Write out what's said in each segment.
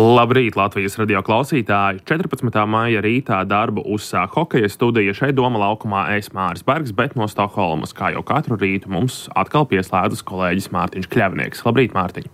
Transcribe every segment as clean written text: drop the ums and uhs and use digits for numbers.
Labrīt, Latvijas radio klausītāji! 14. maija rītā darbu uzsāk hokeja studija šeit Doma laukumā Māris Bergs, bet no Stokholmas, kā jau katru rītu, mums atkal pieslēdzas kolēģis Mārtiņš Kļavnieks. Labrīt, Mārtiņ!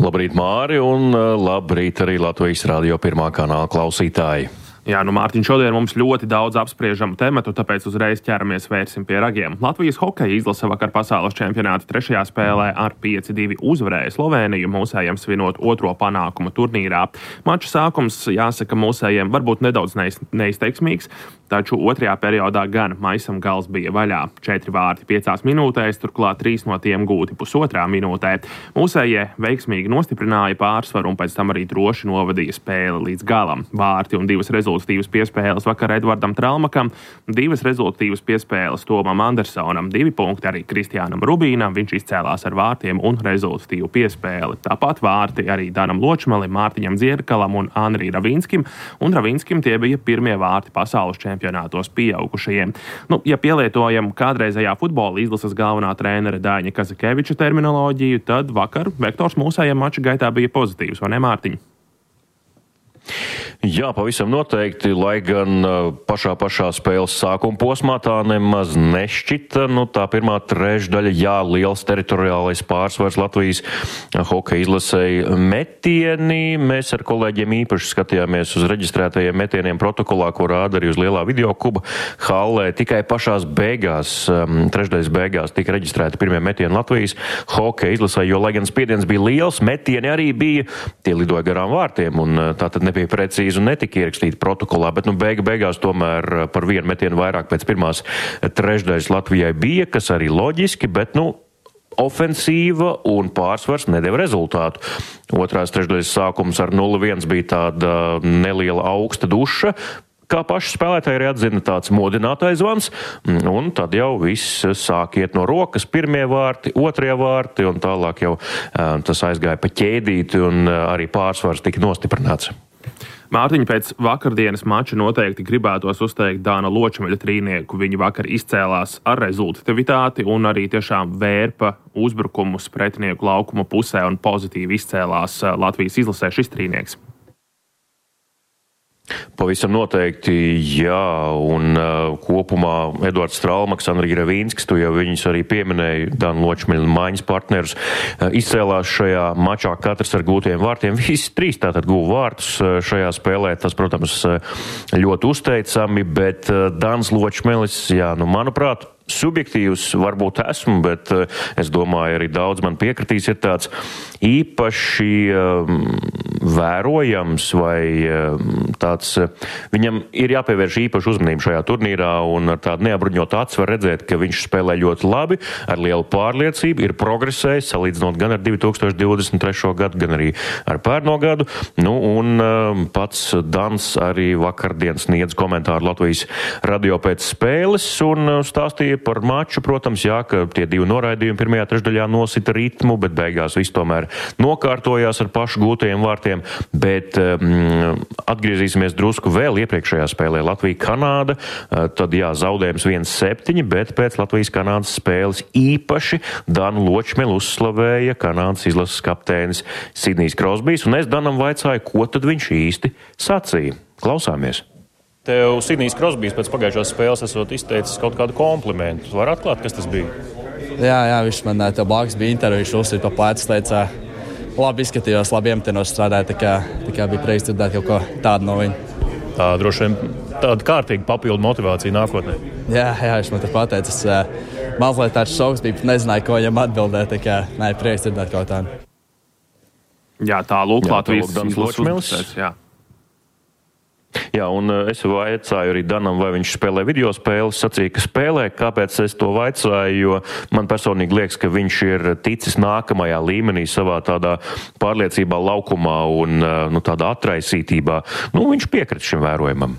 Labrīt, Māri, un labrīt arī Latvijas radio pirmā kanāla klausītāji! Jā, Mārtiņ, šodien mums ļoti daudz apspriežamu tematu, tāpēc uzreiz ķeramies vērsim pie ragiem. Latvijas hokeja izlase vakar pasaules čempionāta 3. spēlē ar 5-2 uzvarēja Slovēniju, mūsējiem svinot otro panākumu turnīrā. Mača sākums, jāsaka, mūsējiem varbūt nedaudz neizteiksmīgs, taču otrajā periodā gan maisam gals bija vaļā. 4 vārti 5 minūtēs, turklāt 3 no tiem gūti pusotrā minūtē. Mūsējie veiksmīgi nostiprināja pārsvaru un pēc tam arī droši novadīja spēli līdz galam. Vārti un 2 rezultatīvas piespēles vakar Edvardam Tralmakam, 2 rezultatīvas piespēles Tomam Andersonam, 2 punkti arī Kristiānam Rubīnam, viņš izcēlās ar vārtiem un rezultatīvu piespēli. Tāpat vārti arī Danam Ločmelim, Mārtiņam Dzierkalam un Anrī Ravinskim, un Ravinskim tie bija pirmie vārti pasaules čempionātos pieaugušajiem. Ja pielietojam kādreizējā futbola izlases galvenā trenera Daņa Kazakeviča terminoloģiju, tad vakar vektors mūsējiem mača gaitā bija pozitīvs, vai ne, Mārtiņ? Jā, pavisam noteikti, lai gan pašā spēles sākuma posmā tā nemaz nešķita. Tā pirmā trešdaļa, jā, liels teritoriālais pārsvars Latvijas hokeja izlasēja metieni. Mēs ar kolēģiem īpaši skatījāmies uz reģistrētajiem metieniem protokolā, ko rāda arī uz lielā videokuba hallē. Tikai pašās beigās, trešdaļas beigās, tika reģistrēti pirmie metieni Latvijas hokeja izlasē, jo, lai gan spiediens bija liels, metieni arī bija, tie lidoja garām vārtiem, un tātad nebija precīzi un netika ierakstīti protokolā, bet beigās tomēr par vienu metienu vairāk pēc pirmās trešdaļas Latvijai bija, kas arī loģiski, bet ofensīva un pārsvars nedeva rezultātu. Otrās trešdaļas sākums ar 0-1 bija tāda neliela augsta duša, kā paši spēlētāji arī atzina, tāds modinātais zvans, un tad jau viss sāk iet no rokas, pirmie vārti, otrie vārti, un tālāk jau tas aizgāja pa ķēdīti, un arī pārsvars tika nostiprināts. Mārtiņ, pēc vakardienas mača noteikti gribētos uzteikt Dāna Ločmeļa trīnieku. Viņi vakar izcēlās ar rezultativitāti un arī tiešām vērpa uzbrukumus pretinieku laukuma pusē un pozitīvi izcēlās Latvijas izlasē šis trīnieks. Pavisam noteikti, jā, un kopumā Edvards Tralmaks, Anrī Ravinskis, tu jau viņus arī pieminēji, Dāna Ločmeļa maiņas partnerus, izcēlās šajā mačā katrs ar gūtiem vārtiem. Visi 3 tātad guva vārtus šajā spēlē, tas, protams, ļoti uzteicami, bet Dāns Ločmelis, jā, manuprāt, subjektīvs varbūt esmu, bet es domāju, arī daudz man piekritīs, ir tāds īpaši vērojams vai tāds, viņam ir jāpievērš īpaši uzmanību šajā turnīrā, un ar tādu neapbruņotu acu var redzēt, ka viņš spēlē ļoti labi, ar lielu pārliecību, ir progresējis, salīdzinot gan ar 2023. gadu, gan arī ar pērno gadu, un pats Dans arī vakardien sniedz komentāru Latvijas radio pēc spēles un stāstīja par maču, protams, jā, ka tie 2 noraidījumi pirmajā trešdaļā nosita ritmu, bet beigās viss tomēr nokārtojās ar pašu gūtajiem vārtiem, bet atgriezīsimies drusku vēl iepriekšējā spēlē Latvija-Kanāda, tad jā, zaudējums 1-7, bet pēc Latvijas-Kanādas spēles īpaši Danu Ločmeli uzslavēja Kanādas izlases kapteinis Sidnijs Krosbijs, un es Danam vaicāju, ko tad viņš īsti sacīja. Klausāmies! Tev Sidnijs Krosbijs pēc pagājušās spēles esot izteicis kaut kādu komplimentu. Var atklāt, kas tas bija? Jā, viņš man tev blakus bija intervija, viņš uzsita pa plecu, teica, labi izskatījos, labi iemetinos strādāja, tā kā bija prieks dzirdēt kaut ko tādu no viņa. Tā droši vien tāda kārtīga papildu motivācija nākotnē. Jā, viņš man te pateicis, mazliet tāds šoks bija, nezināju, ko viņam atbildēt, tā kā prieks dzirdēt kaut tādu. Jā, tā lūk, Latvijas izlases. Jā, un es vaicāju arī Danam, vai viņš spēlē video spēles, sacīja, ka spēlē. Kāpēc es to vaicāju, jo man personīgi liekas, ka viņš ir ticis nākamajā līmenī savā tādā pārliecībā laukumā un tādā atraisītībā. Viņš piekrita šim vērojumam.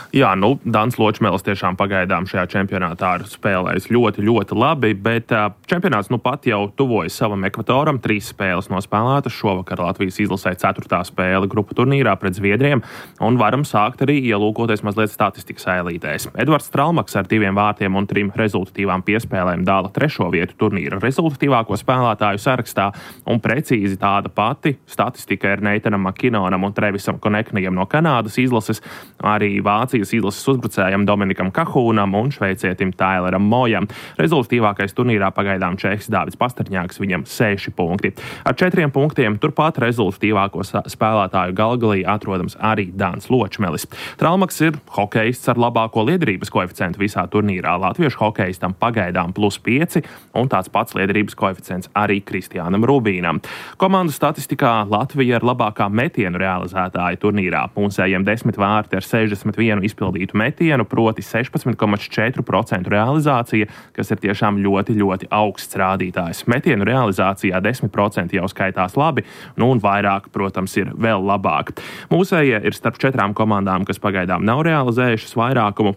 Jā, Dāns Ločmelis tiešām pagaidām šajā čempionātā ir spēlējis ļoti, ļoti labi, bet čempionāts pat jau tuvojas savam ekvatoram. 3 spēles nospēlētas. Šovakar Latvijas izlasē 4. spēle grupu turnīrā pret Zviedriem, un varam sākt arī ielūkoties mazliet statistikas ēlītēs. Edvards Stralmaks ar 2 vārtiem un 3 rezultatīvām piespēlēm dala 3. vietu turnīra rezultatīvāko spēlētāju sarakstā, un precīzi tāda pati statistika ir Neitanam Makinonam un Trevisam Koneknijam no Kanādas izlases, arī Vācijas izlases uzbrucējam Dominikam Kahūnam un šveicietim Taileram Mojam. Rezultatīvākais turnīrā pagaidām čehs Dāvids Pasterņāks, viņam 6 punkti. Ar 4 punktiem turpat rezultatīvāko spēlētāju galgalī atrodams arī Dāns Ločmelis. Stralmaks ir hokejists ar labāko liederības koeficientu visā turnīrā. Latviešu hokejistam pagaidām +5, un tāds pats liederības koeficients arī Kristiānam Rubīnam. Komandu statistikā Latvija ir labākā metienu realizētāja turnīrā. Mūsējiem 10 vārti ar 61 izpildītu metienu, proti 16,4% realizācija, kas ir tiešām ļoti, ļoti augsts rādītājs. Metienu realizācijā 10% jau skaitās labi, un vairāk, protams, ir vēl labāk. Mūsējie ir starp 4 komandām, kas pagaidām nav realizējušas vairākumu,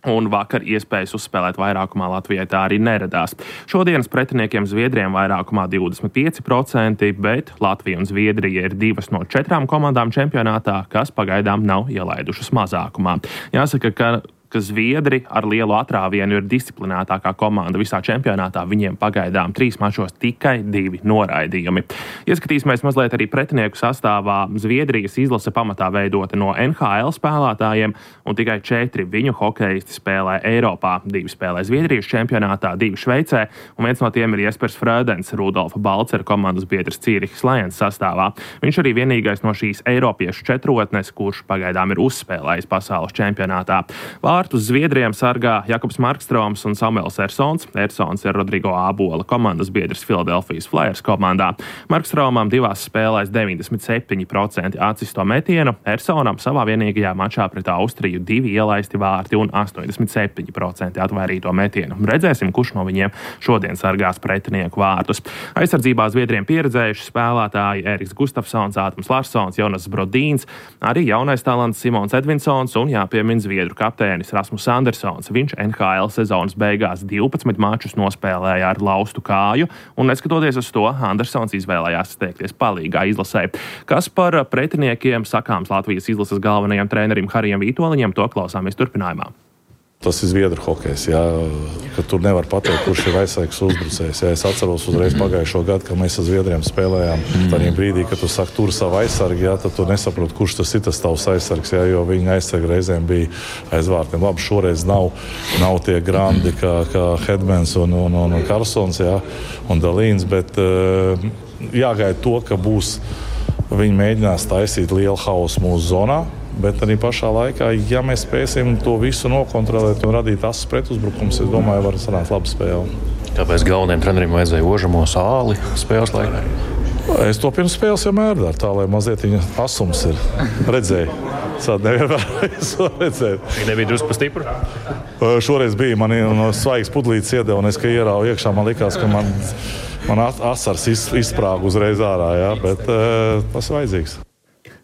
un vakar iespējas uzspēlēt vairākumā Latvijai tā arī neradās. Šodienas pretiniekiem Zviedriem vairākumā 25%, bet Latvija un Zviedrija ir 2 no 4 komandām čempionātā, kas pagaidām nav ielaidušas mazākumā. Jāsaka, ka Zviedri ar lielu atrāvienu ir disciplinētākā komanda visā čempionātā. Viņiem pagaidām 3 mačos tikai 2 noraidījumi. Ieskatīsimies mazliet arī pretinieku sastāvā. Zviedrijas izlase pamatā veidota no NHL spēlētājiem, un tikai 4 viņu hokejisti spēlē Eiropā. 2 spēlē Zviedrijas čempionātā, 2 Šveicē, un viens no tiem ir Jespers Frödens, Rudolfa Balcera komandas biedrs Cīrihas Lions sastāvā. Viņš arī vienīgais no šīs eiropiešu četrotnes, kurš pagaidām ir uzspēlējis pasaules čempionātā. Vārtus Zviedriem sargā Jakubs Markstroms un Samuels Ersons. Ersons ir Rodrigo Ābola komandas biedrs Philadelphia Flyers komandā. Markstromam 2 spēlēs 97% atsisto metienu, Ersonam savā vienīgajā mačā pret Austriju 2 ielaisti vārti un 87% atvairīto metienu. Redzēsim, kurš no viņiem šodien sargās pretinieku vārtus. Aizsardzībā Zviedriem pieredzējuši spēlētāji Eriks Gustafsons, Ātams Larsons, Jonas Brodīns, arī jaunais talants Simons Edvinsons un jāpiemin Zviedru kapteinis Rasmus Andersons. Viņš NHL sezonas beigās 12 mačus nospēlēja ar laustu kāju, un neskatoties uz to, Andersons izvēlējās steigties palīgā izlasē. Kas par pretiniekiem sakāms Latvijas izlases galvenajam trenerim Harijam Vītoliņam, to klausāmies turpinājumā. Tas ir Zviedru hokejs, ka tur nevar pateikt, kurš ir aizsargs uzbrucējs. Es atceros uzreiz pagājušo gadu, kad mēs ar Zviedriem spēlējām. Tajā brīdī, kad tu saki, tur savu aizsargu, tad tu nesaproti, kurš tas ir tas tavs aizsargs, jo viņa aizsarga reizēm bija aiz vārtiem. Labi, šoreiz nav tie grandi kā Hedmans un Karlsons un Dalīns, bet jāgaida to, ka viņi mēģinās taisīt lielu hausu mūsu zonā. Bet arī pašā laikā, ja mēs spēsim to visu nokontrolēt un radīt asas pretuzbrukums, es domāju, var sanākt laba spēle. Kāpēc galvenajam trenerim vajadzēja Ožamo sāli spēles laikā? Es to pirms spēles vienmēr daru, tā lai mazliet viņa asums ir. Redzēju. Sād nevienmēr to redzēt. Viņa nebija drusku pa stipru? Šoreiz bija. Man no svaigas pudlītes iedeva, un es, ka ierāvu iekšā, man likās, ka man asars izsprāga uzreiz ārā, bet tas ir vajadzīgs.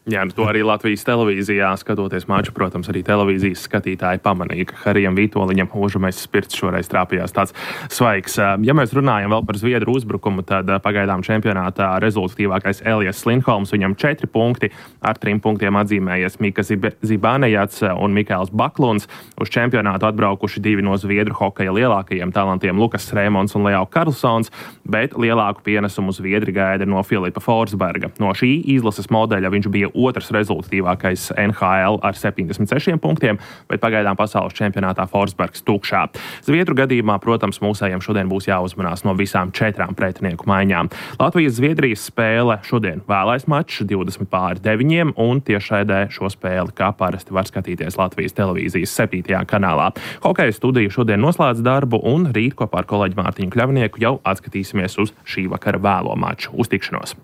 Jā, to arī Latvijas televīzijā skatoties maču, protams, arī televīzijas skatītāji pamanīja, ka Harijam Vītoliņam Ožamais spirts šoreiz trāpījās tāds svaigs. Ja mēs runājam vēl par Zviedru uzbrukumu, tad pagaidām čempionātā rezultatīvākais Elijas Lindholms, viņam 4 punkti, ar 3 punktiem atzīmējies Mika Zibanejats un Mikēls Bakluns. Uz čempionātu atbraukuši 2 no Zviedru hokeja lielākajiem talantiem Lukas Rēmons un Leo Karlsons, bet lielāku pienesumu Zviedri gaida no Filipa Forsberga. No šī izlases modeļa viņš bija otrs rezultatīvākais NHL ar 76 punktiem, bet pagaidām pasaules čempionātā Forsbergs tukšā. Zviedru gadījumā, protams, mūsējiem šodien būs jāuzmanās no visām 4 pretinieku maiņām. Latvijas-Zviedrijas spēle šodien vēlais mačs 20:9, un tiešraidē šo spēli kā parasti var skatīties Latvijas televīzijas 7. kanālā. Hokeja studija šodien noslēdz darbu, un rīt kopā ar kolēģi Mārtiņu Kļavnieku jau atskatīsimies uz šī vakara vēlo maču. Uz tikšanos!